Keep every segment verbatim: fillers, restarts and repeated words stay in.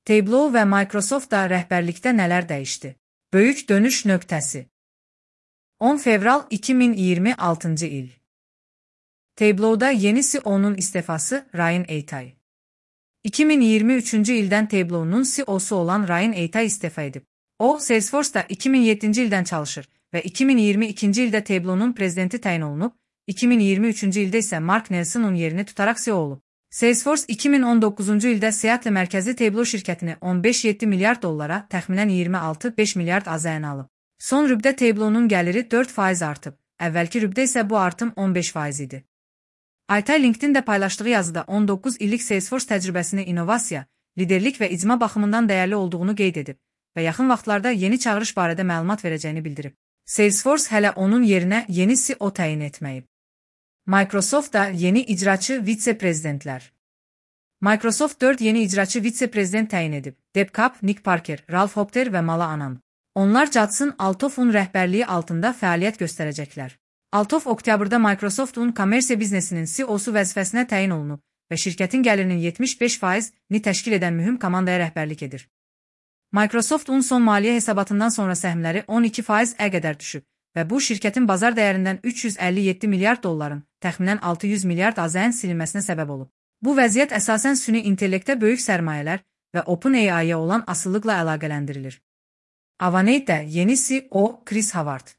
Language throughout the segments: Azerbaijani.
Tableau və Microsoftda rəhbərlikdə nələr dəyişdi? Böyük dönüş nöqtəsi. on fevral iki min iyirmi altıncı il. Tableau'da yeni C E O'nun istifası Ryan Aytay. iki min iyirmi üçüncü ildən Tableau'nun C E O'su olan Ryan Aytay istifa edib. O, Salesforce'da iki min yeddinci ildən çalışır və iki min iyirmi ikinci ildə Tableau'nun prezidenti təyin olunub, iki min iyirmi üçüncü ildə isə Mark Nelson'un yerini tutaraq C E O olub. Salesforce iki min on doqquzuncu ildə Seattle mərkəzli Tableau şirkətini on beş nöqtə yeddi milyard dollara, təxminən iyirmi altı nöqtə beş milyard A Z N alıb. Son rübdə Tableau'nun gəliri dörd faiz artıb, əvvəlki rübdə isə bu artım on beş faiz idi. Aytay LinkedIn-də paylaşdığı yazıda on doqquz illik Salesforce təcrübəsini innovasiya, liderlik və icma baxımından dəyərli olduğunu qeyd edib və yaxın vaxtlarda yeni çağırış barədə məlumat verəcəyini bildirib. Salesforce hələ onun yerinə yeni C E O təyin etməyib. Microsoftda yeni icraçı vitse-prezidentlər. Microsoft dörd yeni icraçı vitse-prezident təyin edib. Deb Kapp, Nick Parker, Ralph Hopter və Mala Anand. Onlar Judson Althoff'un rəhbərliyi altında fəaliyyət göstərəcəklər. Althoff oktyabrda Microsoft'un kommersiya biznesinin C E O'su vəzifəsinə təyin olunub və şirkətin gəlirinin yetmiş beş faizini təşkil edən mühüm komandaya rəhbərlik edir. Microsoft'un son maliyyə hesabatından sonra səhmləri on iki faiz qədər düşüb və bu şirkətin bazar dəyərindən üç yüz əlli yeddi milyard dolların, təxminən altı yüz milyard A Z N silinməsinə səbəb olub. Bu vəziyyət əsasən süni intellektə böyük sərmayələr və OpenAI-ya olan asılılıqla əlaqələndirilir. Avane'də yeni C E O Chris Howard.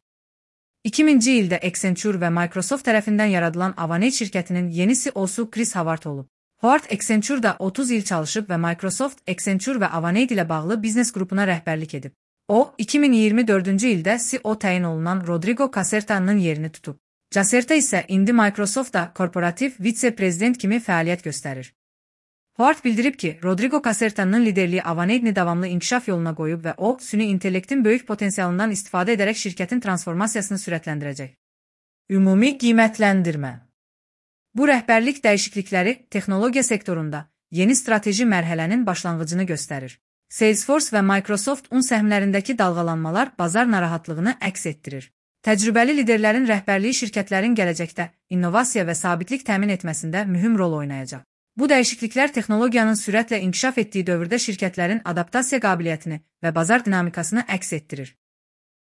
iki minci ildə Accenture və Microsoft tərəfindən yaradılan Avane şirkətinin yeni C E O'su Chris Howard olub. Howard Accenture'da otuz il çalışıb və Microsoft, Accenture və Avane ilə bağlı biznes qrupuna rəhbərlik edib. O, iki min iyirmi dördüncü ildə C E O təyin olunan Rodrigo Caserta'nın yerini tutub. Caserta isə indi Microsoftda korporativ vitse-prezident kimi fəaliyyət göstərir. Howard bildirib ki, Rodrigo Caserta'nın liderliyi Avane'ni davamlı inkişaf yoluna qoyub və o, süni intellektin böyük potensialından istifadə edərək şirkətin transformasiyasını sürətləndirəcək. Ümumi qiymətləndirmə. Bu rəhbərlik dəyişiklikləri texnologiya sektorunda yeni strateji mərhələnin başlanğıcını göstərir. Salesforce və Microsoft-un səhmlərindəki dalğalanmalar bazar narahatlığını əks etdirir. Təcrübəli liderlərin rəhbərliyi şirkətlərin gələcəkdə innovasiya və sabitlik təmin etməsində mühüm rol oynayacaq. Bu dəyişikliklər texnologiyanın sürətlə inkişaf etdiyi dövrdə şirkətlərin adaptasiya qabiliyyətini və bazar dinamikasını əks etdirir.